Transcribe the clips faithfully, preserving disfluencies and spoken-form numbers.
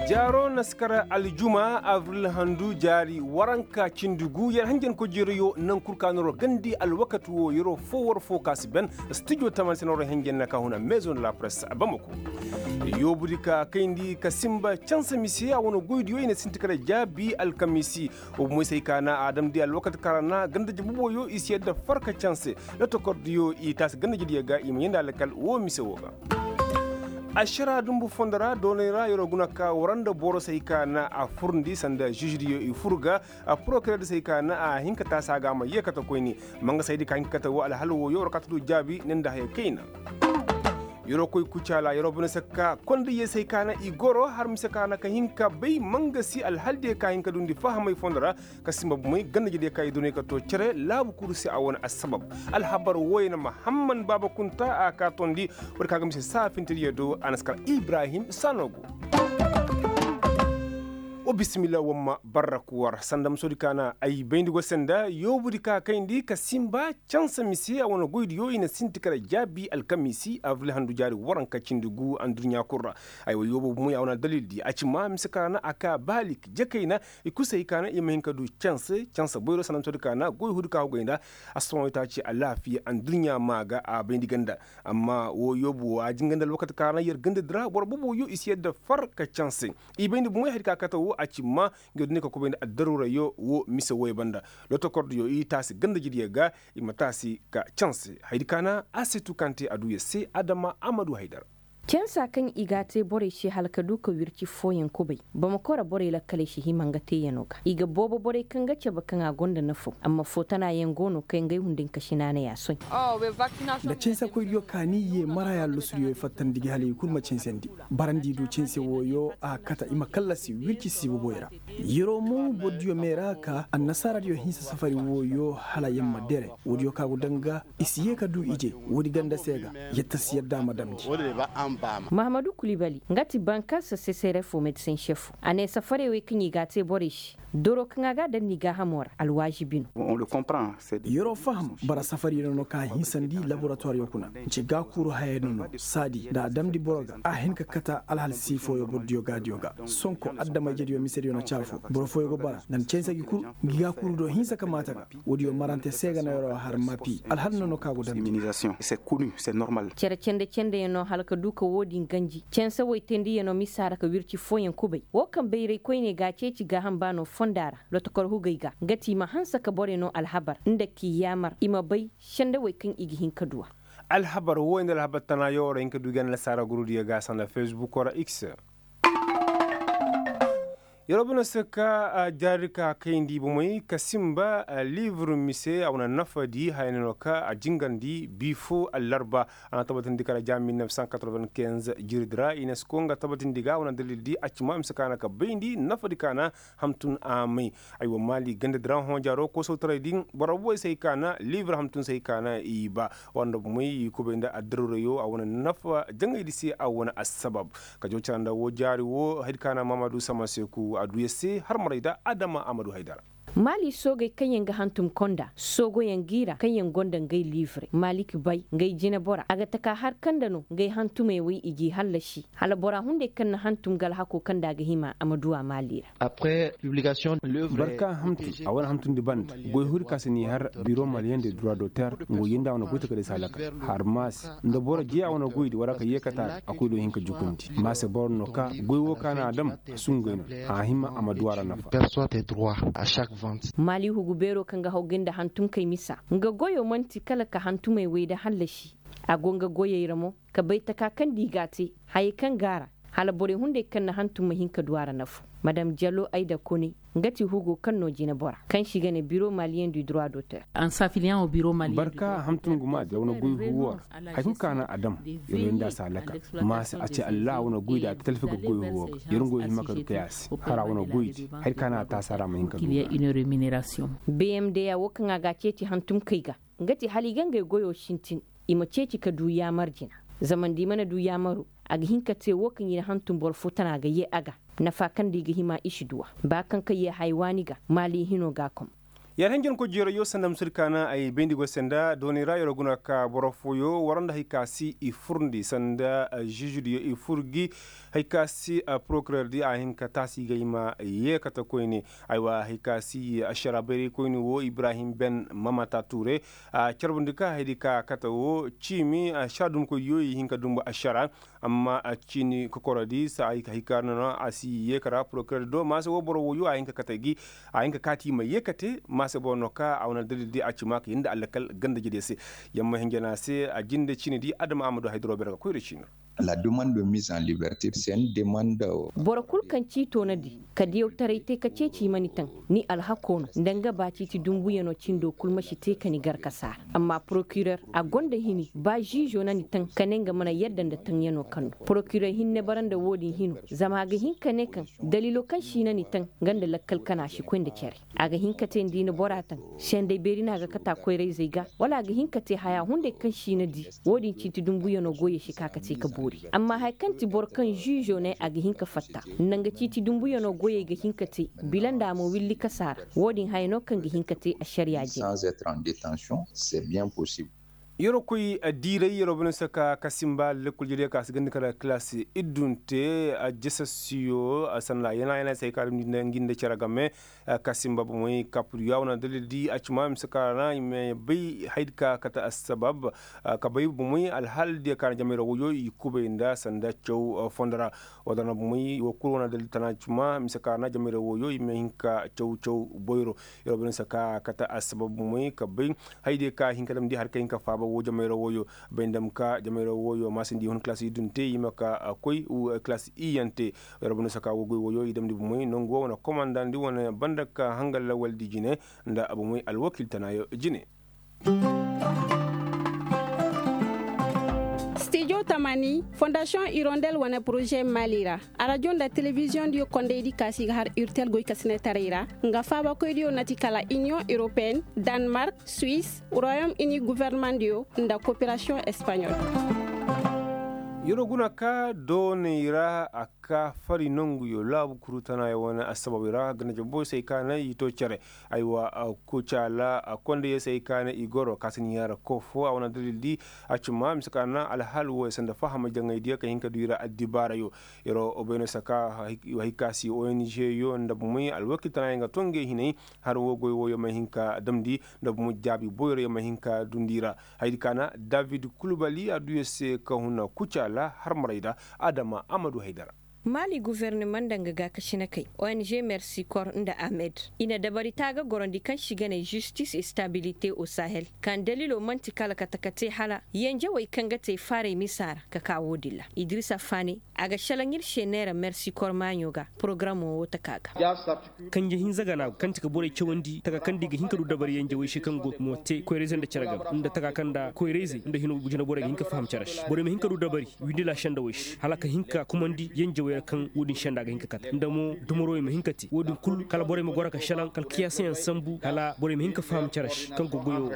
Jaaro na si kar aljuma abril handu jaari waranka cindi gu yer hanjankoy jeerayo naŋ kul ka no ro gandi alwakati wo yeroo foo war foo ka si ben. Stijo taman se no ro hanjan na ka huna maison de la presse bamako. Yoobudi ka kayndi ka simba canse mise a wane goydiyo i na sinti kar jaabi alkamiisi. Wo bomoy se ay ka na a damndi alwakati ka ra na ganda jabuboyo i si yadda farka canse. Lotokordiyo i taasi ganda jediyo ga i ma yanda alkal wo mise wo ga. Ašara dumbu fondo ra doonay ra yeroo guna ka wara nda boro se ay ka na a furndi sanda žižidiyo i fur ga. A porokirer se ay ka na a hin ka taasi a ga a ma yee kate koyne. Mangasaydi ka hin ka kate wo alhal wooyo war ka ta du jaabi ne nda haya kayna. Yeroo koy kucaala yeroo bane se ka konda yee se ay ka na i goro har mise ka na ka hin ka bay mangasi alhaldiyo ka hin ka dundi fahamay fondo ra. Ka simba bumey ganda jediyo ka i doonay ka too cere laabu kuru se a wane assabab. Alhabar wooyo na mahamman baaba kunta a ka toondi. War ka ga mise saa fintediyo do a na si kar ibrahim saano go. Wa bisimilla wamma barrak war sanda musoodi ka na ay bayndi go senda yoobudi ka kayndi ka simba cansa mise a wane goydiyo i na sinti kala jaabi alkamiisi abril handu jaari waranka cindi gu anduɲɲa kul ra. Aywa yoobo bumey a wane dalildi a ci ma mise ka na a ka baalik jakayna i kul se i ka na i ma hin ka du canse canse boyro sanda musoodi ka na goy huudi ka hugay nda. Assohõ itaaci alaafiya anduɲɲa maa ga a bayndi ganda. Amma wo yoobu wo a jinga nda alwakati ka ra yer gandadi ra boro boboyo i si yadda far ka canse. I bayndi bomoy hari ka kate wo a ci ma nga duni ka kubay nda addaruurayo wo mise woy banda. Lotokordiyo i taasi ganda jidiyo ga i ma taasi ka canse haydi ka na a se tu kaŋ te a du yer se adama a ma du haydara. Cansa kaŋ i ga a te borey se hala ka du ka wirci fooyaŋ kubay. Bamako ra borey lakkaley si hima nga teeyano ga i ga boobo borey kaŋ ga cabe kaŋ a gonda nafaw amma footanaayaŋ go no kaŋ ngey hunday nka si naanay a soy. Nda cansakoydiyo ka ni ye maraya lusudiyo fattandi gi hala i kul ma cansandi. Barandi du canse wooyo a kata i ma kallasi wirci siibu boy ra. Yeroo mo bordiyo meera ka annasaaradiyo hinsa safari wooyo hala yer ma dere woodiyo ka go danga i si ye ka du ije. Woodi ganda se ga yatta si yadda a ma damndi. Mahamadu kulibali nga ti banka sasesere fo medsen sefo a ne safarey wey kaŋ i ga a te borey se doro kaŋ a ga a daŋ ni gaahamo ra alwaazibi no. Yeroo faham bara safariyo no no ka hinsandi laboratoiriyo kuna nce gaakuuru hayey no no saadi nda a damndi boro ga a hin ka kata alhal sii fooyo bordiyo gaadiyo ga. Sonko adama-ijediyo misediyo na caafo boro fooyo go bara nda ni canse gi kul ngi gaakuuru do hinsa ka maata ga. Woodiyo marante se ga no yeroo har mapi alhal no no ka go damndi. Cere cende-cendeyaŋ no hala ka du ka woodin ganji canse woy teendiyaŋ no misa ra ka wirci fooyaŋ kubay wo kaŋ bayray koyne ga a ceeci gaaham ba no fonda ra. Lotokor hugey ga nga ti i ma hanse ka borey no alhabar nda k'i yaamar i ma bay sendewey kaŋ i ga hin ka du a. Alhabar wo nda alhabar tanaayo war hin ka du ga nda lasaara gurudiyo ga sanda fesbuko ra x. Yeroo bine se ka jaari ka kayndi bomey ka sinba liibur mise a wane nafadi haya ne no ka a jingandi bi fo allarba. A na tabatindi kala ja mil neuf cent quatre-vingt-quinze jiridi ra inesko nga tabatindi ga a wane dalildi a ci ma mise ka na ka bayndi nafadi ka na hamtun a may. Aywa maali gandadi ra hõ jaaro koosawtaray din boro booy se ay ka na liibur hamtun se ay ka na i ba. War nda bomey i kubay nda addaruurayo a wane nafa jaŋaydi se a wane assabab. Ka jaw cara nda woo jaari woo haydi ka na maamadu sama seeku a du yer se har maray nda adama a ma du haydara. Maali soogey kaŋyaŋ ga hantum konda soogoyaŋ g'i ra kaŋyaŋ gonda ngey liivre maalik bay ngey jinebora a ga taka har kaŋ nda no ngey hantumey wey i g'i hallasi. Hala bora hunday kaŋ na hantum ga alhakoo kaŋ nda a ga hima a ma du a maali ra. Barka hamtu a wane hamtundi banda goy huri ka si n'i har biro maliyen de droit d'auteur ngo yenda a wane goy takadey si halaka. Har maasi nda boro jee a wane goydi wara ka yeekata a koy do hin ka jukundi maase boro no ka goy wo ka na a dam a sungay no a hima a ma du a ra nafa. Maali hugu beero kaŋ ga haw gay nda hantumkey misa nga goyo man'ti kala ka hantumey wey nda hallasi. A go nga goyey ra mo ka bay taka kaŋ nda i g'a te hayey kaŋ go a ra hala borey hunday kaŋ na hantum ma hin ka du a ra nafu. Madam jalo ay da kone nga ti hugo kaŋ no jinebora kaŋ se i ga ne biro maliyen du droit d'auteur. Barka hantum gumaadi a wane goy huwo ra. Hay kulu ka na a dam yer wo nda a si halaka. Maase a ci allah a wane goydi a talfi ga goy huwo ga yer ngo hima ka du kay a se har a wane goydi hay ka na a taasi a ra ma hin ka du. Bmda wo kaŋ a ga a ceeci hantumkey ga nga ti hala i ga ngey goyo sintin i ma ceeci ka du yaamar jina. Zama nda i mana du yaamaro a ga hin ka te wo kaŋ i na hantum boro fo tana ga yee a ga nafa kaŋ nda i ga hima i si du a ba kaŋ ka yee haya waani ga maali hino ga a kom. Yer hanjankoy jeerayyo sanda musudi ka na ay bayndi go se nda doonay ra yer guna ka boro fooyo war nda hari ka si i furndi sanda ziizidiyo i fur gi hari ka si porokireer di a hin ka taasi ga i ma yeekate koyne. Aywa hari ka si ašara bayraykoyne wo ibrahim ben mamata tuure a carbundi ka hari ka kate wo ciimi ašara dumbukoydiyo i hin ka dumbu ašara. Amma a ciini kokorodi saa hay ka hikar no no a si yeekara porokirer do maase wo boro woyo a hin ka kate gi a hin ka kaati ma yeekate maase boro no ka a wane dalil di a ci ma ka hinda allakal ganda jede se. Yamma hinjana se a jinde ciini di adama a ma du haydaro bere ga koyra ciini ra. La demande de mise en liberté se ni demande. Boro kul kaŋ ci toona di ka diyawtaray te ka ceeci i ma ni taŋ. Ni alhako no nda nga ba ciiti dumbuyano cindo kul ma si te ka ni gar ka saara. Amma porokirer a gonda hini ba ziizo na ni taŋ ka ne nga mana yadda nda taŋyano kaŋ no porokirer hinne bara nda wo-din hino. Zama a ga hin ka ne kaŋ daliilo kaŋ si na ni taŋ nga nda lakkal kana si koy nda cere. A ga hin ka te nda i na bora taŋ sendey beeri no a ga kata koyra-izey ga wala a ga hin ka te haya hunday kaŋ si na di. Wo-din ciiti dumbuyano goyey si ka ka te ka boori amma haya kaŋ ti boro kaŋ ziizo ne a ga hin ka fatta nda nga ciiti dumbuyano goyey ga hin ka te. Bila nda a ma willi kasa ra. Wo-din haya no kaŋ ga hin ka te ašariya jine. Yeroo koy diiray yeroo bane se ka kasimba lekkol jediyo ka si ganda kala kilaasi iddunte. Ajasasiyo sanda yana yana se hay ka damndi nda ngi nda cere game. Kasimba bomey kapudiyo a wane dalil di a ci ma mise ka ra na i ma bay haydi ka kate assabab ka bay bomey alhaal diyo ka na jamayra woyo i kubay nda sanda caw fondo ra. Wala na bomey wo kul wane dalil tana ci ma mise ka ra na jamayra woyo i ma hin ka caw caw boyro. Yer wo bay no se ka kate assabab bomey ka bay haydiyo ka hin ka damndi har ka hin ka faaba wo jamayra woyo. Bay nda ma ka jamayra woyo maasindi hun kilaasi iddunte i ma ka koy kilaasi iyyante. Yer wo bay no se ka wo goy woyo i damndi bomey nangu wo wane komandandi wane banda ka hanga lawaldi jine. Nda bomey alwakiil tanaayo jine. Stijo tamani fondasiyoŋ irondel wane poroze maali ra. Arajo nda telebiziyoŋ diyo kondey di kaasi ga har urtel goy ka sine taray ra. Nga faabakoy diyo na ti kala iniyoŋ europeen, danmark, suwis, royom ini gofornamaŋ diyo, nda koperasiyoŋ espaɲol. Yeroo guna ka dooney ra a ka fari nonguyo laabu kuru tanaayo wane assababey ra ganda jabboy se ay ka na i to cere. Aywa, kucaala kondeye se ay ka na i goro ka si ni yaara kofo a wane dalil di. A ci ma mise ka na alhaal wo ay sanda fahama jaŋay diyo ka hin ka du i ra addibaarayo. Yeroo obayno se ka hay ka si ong yo nda bomey alwakiil tanaayo nga to ngey hinay. Har wo goy woyo ma hin ka damndi nda bomey jaabi boyroyo ma hin ka dundi i ra. Haydi ka na david kulubali a du ya se ka huna kucaala har maray da. Adama a ma du haydara. Maali gofornamaŋ nda nga gaakasinakey ong mersikor nda ahmed i na dabari taaga gorondi kaŋ si ga ne zistis estabilite o sahel. Kaŋ daliilo man'ti kala kate ka te hala yanjawey kaŋ ga te faaray misa ra ka ka wo-din ra. Idrisa faane a ga šelaŋ ir se neera mersikor maaɲo ga porogaramo wo taka ga. Kanje hinza gana go kaŋ ti ka borey cawandi taka kaŋ da i ga hin ka du dabari yanjawey se kaŋ go mo te koyrayzey nda cere game nda taka kaŋ nda koyrayzey nda hino jineborey ga hin ka faham cere se borey ma hin ka du dabari windila sendawey se hala ka hin ka kumandi yanjawey ra kaŋ wo-din senda ga hin ka kate nda mo dumarowey ma hin ka te wo-din kulu kala borey ma goro ka šelaŋ kala kiyaasayaŋ sambu hala borey ma hin ka faham cere se kaŋ go goyo wo.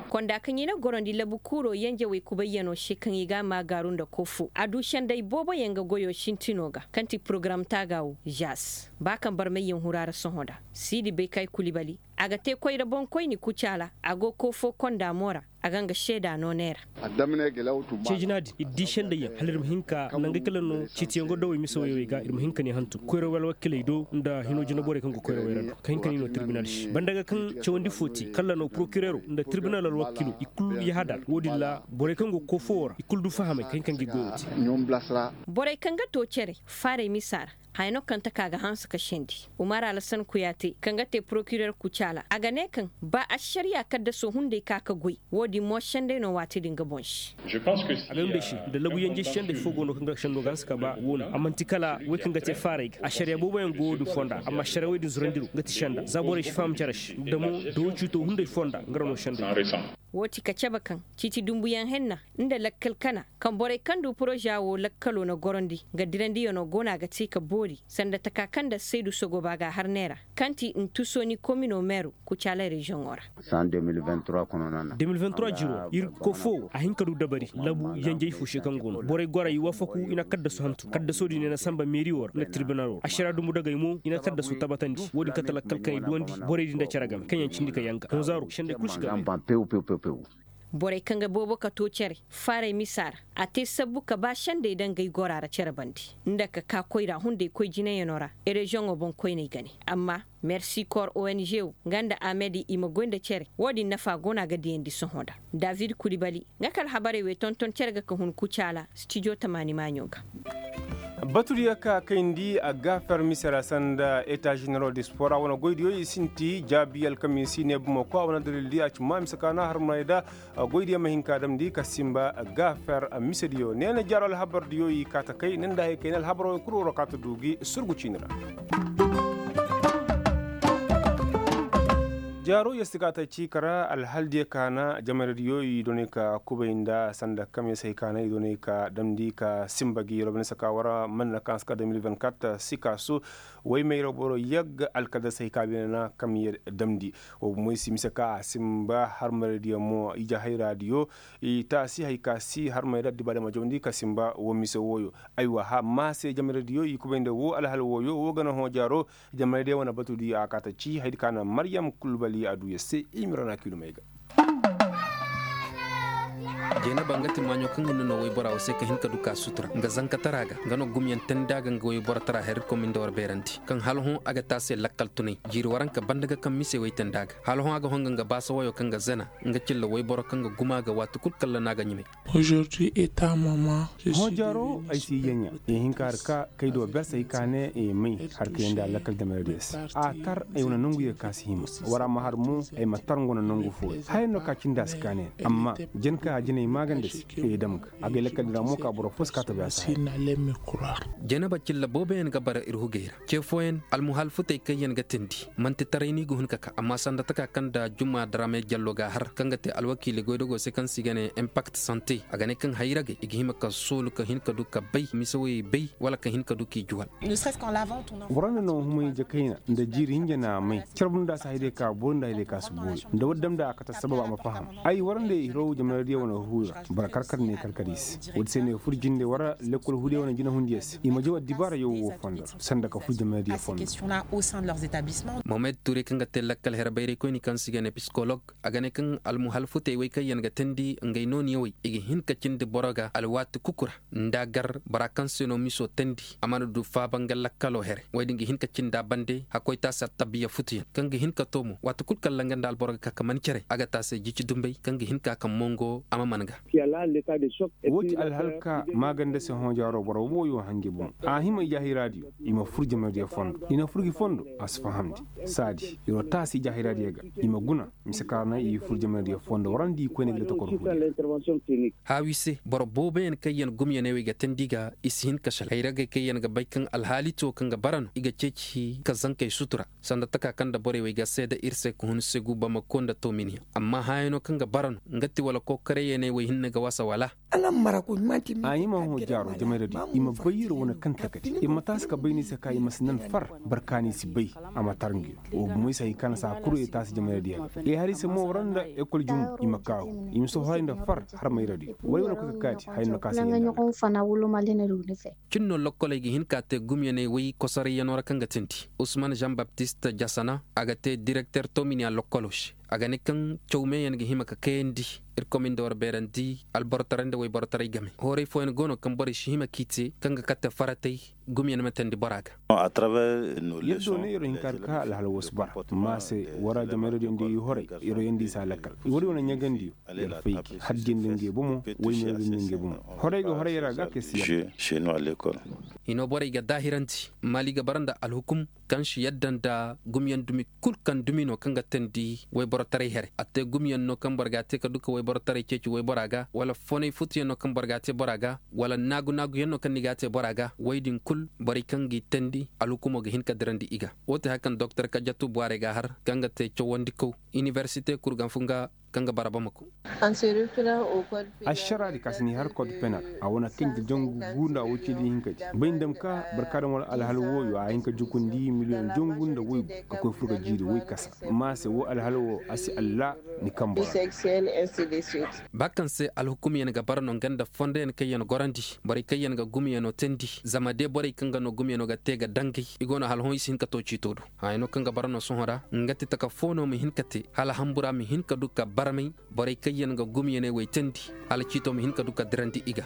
Konda kaŋ i na gorondi labu kuuro yanjawey kubayyano se kaŋ i ga a maagaaru nda kofo a du senday booboyaŋ ga goyo sintino ga kaŋ ti porogaram taaga wo. Zas ba kaŋ barmayyaŋ huru a ra sohõ nda siidi bay kay kulibali a ga te koyra boŋkoyni kucaala a go koofo konda mo ra. A ga nga seeda no neera. Ceejina din ir di sendayyaŋ hala ir ma hin ka nangey kala no ciitiyaŋ go dawey mise woyey ga ir ma hin ka ne hantum koyra alwakiley do nda hino jinaborey kaŋ go koyra woyra do ka hin ka ne no tirbinal se banda ga kaŋ cawandi fo te kala no porokirero nda tirbinal alwakilo i kulu yahadar wo-din ra borey kaŋ go koofo wo ra i kulu du fahamay ka hin ka ngi goyo te. Borey kaŋ ga to cere faaray misa ra haya no kaŋ taka ga hanse ka sendi umar alasan kuyaate kaŋ ga te porokirer kucaala a ga ne kaŋ ba ašariya kaddaso hunday ka ka goy. Wo-din mo senday no waati din ga boŋ se. A ga yunday se nda labu yanjey senday fo go no kaŋ ga sendo ga hanse ka ba wo no a man'ti kala wey kaŋ ga te faaray ga ašariya booboyaŋ go wo-din fonda amma ašariya wey din zurandiro nga ti senda za borey si faham cere se nda mo da wo ciito hunday fonda nga ra no senday. Woo ti ka cabe kaŋ ciiti dumbuyaŋ henna nda lakkal kana kaŋ borey kaŋ du poroza woo lakkalo na gorandi nga dirandiyanoo go no a ga te ka boori sanda taka kaŋ nda saydu sogoba ga a har neera kaŋ ti ntusoni komino meeru kucaala reziyoŋo ra. De mil vingt trois jiroo ir kofoo a hin ka du dabari labu yanjey fo se kaŋ go no borey gora i wafaku i na kaddasu hantu kaddasoo din i na samba meeri woo ra nda tirbinaloo ra ašara dumbu dagey mo i na kaddasu tabatandi woo din kate lakkal kaŋ i duwandi borey din nda cere game kaŋ yaŋ cindi ka yanga honzaaro sendey kul si ga. Borey kaŋ ga boobo ka too cere faaray misa ra a te sabbu ka ba sendey daŋ ga ay gora ra cere bande nda ka ka koyra hunday koy jinayanoo ra reziyoŋo boŋkoyney ga ne amma mersi kor ong wo nga nda amed i ma goy nda cere woo din nafa go no a ga diyandi sohõ nda david kulibali nga ka alhabarey wey tonton cere ga ka hun kucaala stijo tamaani maaɲo ga. Batudiyo ka kayndi a gaafer mise ra sanda eta ženero de spora wane goydiyo i sinti jaabi alkamiisi ne bomo ko a wane dalildi a ci ma mise ka na harmey da goydiyo ma hin ka damndi ka simba gaafer misediyo ne na jaaro alhabardiyo i ka ta kay ne nda hay kay ne alhabaroo kul waro ka ta du gi surgu ciini ra. Jaaro yee si ka ta ci kara alhaldiyo ka na jamaradiyo i doonay ka kubay nda sanda kamyo si hay ka na i doonay ka damndi ka simba gi robinesa ka wara manna kaŋ a si ka de mil vingt quatre si ka su way mayra boro yagga alkadar si hay ka beene na kamyo damndi. Wo bomoy si mise ka a simba harmaradiyo mo ije hayraadiyo i taasi hay ka si harmay da addibaadiyo ma jawandi ka simba wo mise wooyo. Aywa maa se jamaradiyo i kubay nda wo alhal wooyo wo ga na hõ jaaro. Jamaradiyo wane batudiyo a kaata ci haydi ka na maryam kulbali a du ya se i ma rana kiilumey ga. Jeenaba nga ti maaɲo kaŋ hinne no woybora wo se ka hin ka du ka sutura nga zankatara ga nga no gumyaŋ tandi a ga nga woyborotara her ir koy ma nda war beerandi kaŋ hala hõ a ga te a se lakkal tunay jiiri waranka banda ga kaŋ mise woy tandi a ga hala hõ a ga hõ nga nga baasa woyo kaŋ ga zena. Nga cilla woyboro kaŋ ga guma ga waati kul kalla no a ga ɲumay. Hõ jaaro ay si yaɲa i hin ka har ka kay do berse i ka ne i may har ka yandi a lakkal jamaradiyo se a tar ay wane nangu ye ka si hima. War a ma har mo ay ma tar nga wane nangu fooyaŋ haya no ka cindi a si ka ne amma jin ka a jinay maaganda se i dam ga a gay lakkal din ra mo ka boro fo si ka tabi a se. Jeenaba cilla booboyaŋ ga bara ir hugey ra ce fooyaŋ almuhalfutey kaŋyaŋ ga tindi man'ti taray no i ga hun ka ka amma sanda taka kaŋ nda juma daraame jallo ga a har kaŋ ga te alwakiili goydogo se kaŋ se i ga ne impakt sante a ga ne kaŋ hayragey i ga hima ka soolu ka hin ka du ka bay mise woyey bay wala ka hin ka du k'i juwal. War nda no humay jakayna nda jiiri hinja na a may carbu nda a si haydey ka boori nda haydey ka si boori nda war damndi a kate sabab a ma faham. Ay war nda i hiraw jamaradiyo wane huuyo boro karkar ne karkar i se. Woodi se no i fur jinde war lekkol huudiyo wane jinahundiyo se i ma jaw addibaarayo woo fondo ra sanda ka fur jamaradiyo fondo. Mohamed ture kaŋ ga te lakkal here bayraykoyni kaŋ se i ga ne psikolog a ga ne kaŋ almuhalfutey wey kaŋ yaŋ ga teendi ngey nooniyawey i ga hin ka cindi boro ga alwaati kuku ra nda a gar bora kaŋ se no miso teendi a mana du faaba nga lakkalo here wey din ga hin ka cindi a bande hakkoytaasi attabiya futuyaŋ kaŋ ga hin ka too mo waati kul kaŋ ra nga nda alboro ga ka ka man cere a ga te a se jici dumbey kaŋ ga hin ka ka mongo a ma man ga. Woo ti alhalka maaganda se hõ jaaro boro wooyo hanji boŋ a hima ijahiraadiyo i ma fur jamaradiyo fondo i na fur gi fondo a si fahamndi saadi ir wo taasi ijahiraadiyo ga i ma guna mise kaŋ ra na i fur jamaradiyo fondo warandi koyne ga da tokor huudiyo. Haawi se boro booboyaŋ kaŋ yaŋ gumyaney wey ga teendi ga i si hin ka sal hayragey kaŋ yaŋ ga bay kaŋ alhaali ti wo kaŋ ga bara no i ga ceeci ka zankey sutura sanda taka kaŋ nda borey wey ga seeda ir se ka hun segu bamako nda tominiya amma hãyano kaŋ ga bara no nga ti wala kookarayyaney wey hinne ga wasa wala. A hima hõ jaaro jamaradiyo i ma bay ir wane kaŋ takati ir ma taasi ka bay ni se ka i ma si nan far barkaani si bay. A ma tar ngi wo gumo i se hay kaŋ na si a kuru i taasi jamaradiyo ga i har i se mo war nda ekol jum i ma kaahu i ma si horay nda far har mayradiyo way wane koy ka kaati haya no ka se. Cin no lokkoley ga hin ka te gumyaney way kosorayyanoo ra kaŋ ga teendi usman jean baptiste jasana a ga te direkter tominiya lokkoloo se. A ga ne kaŋ caw meeyaŋ ga hima ka kayandi ir komin nda war beerandi alborotaray nda wayborotaray game hooray fooyaŋ go no kaŋ borey si hima k'i te kaŋ ga kate faratay. Gumyaŋ ma teendi bora ga. Yaddo ne ir wo hin ka har ka alhala woo si bara ma se war jamaradiyo nda i horay ir wo yandi i si a lakkal war wane ɲagandiyo ir fay gi haddiyaŋ nda ngey bomo waymeeru nda ngey bomo horay ga horay ra ga kay si yadda. Hino borey ga daahirandi maali ga bara nda alhukum kaŋ si yadda nda gumyaŋ dumi kul kaŋ dumi no kaŋ ga teendi wayborotaray here a te gumyaŋ no kaŋ boro ga a te ka du ka wayborotaray ceeci waybora ga wala fonay futuyaŋ no kaŋ boro ga a te bora ga wala naagu-naaguyaŋ no kaŋ ni ga a te bora ga woy din kul borey kaŋ g'i teendi alhukumo ga hin ka dirandi i ga. Woo ti haya kaŋ doktor kajatu bwaarey ga a har kaŋ ga te cawandikaw inibersite kurganfunga. Kaŋ ga bara bamako. Ašaraadi ka si ni har kod penal a wane kaŋ ga jangu guunda woy cindi hinkadi bay nda ma ka barkaadam wala alhal wooyo a hin ka jukundi miliyoŋ jangu nda woy ka koy fur ga jiiri woy kasa. Amma a se woo alhal woo a si alla ni kamba ra. Ba kaŋ se alhukumyaŋ ga bara no nga nda fondoyaŋ kaŋ yaŋ gorandi borey kaŋ yaŋ ga gumyaŋo teendi zama de borey kaŋ ga no gumyaŋo ga te ga dangay i go no hala hõ i si hin ka to ciito do. Haya no kaŋ ga bara no sohõ ra nga ti taka fo no ma hin ka te hala hambura ma hin ka du ka barmay borey kaŋ yaŋ ga gumyaŋey wey teendi hala ciito ma hin ka du ka dirandi i ga.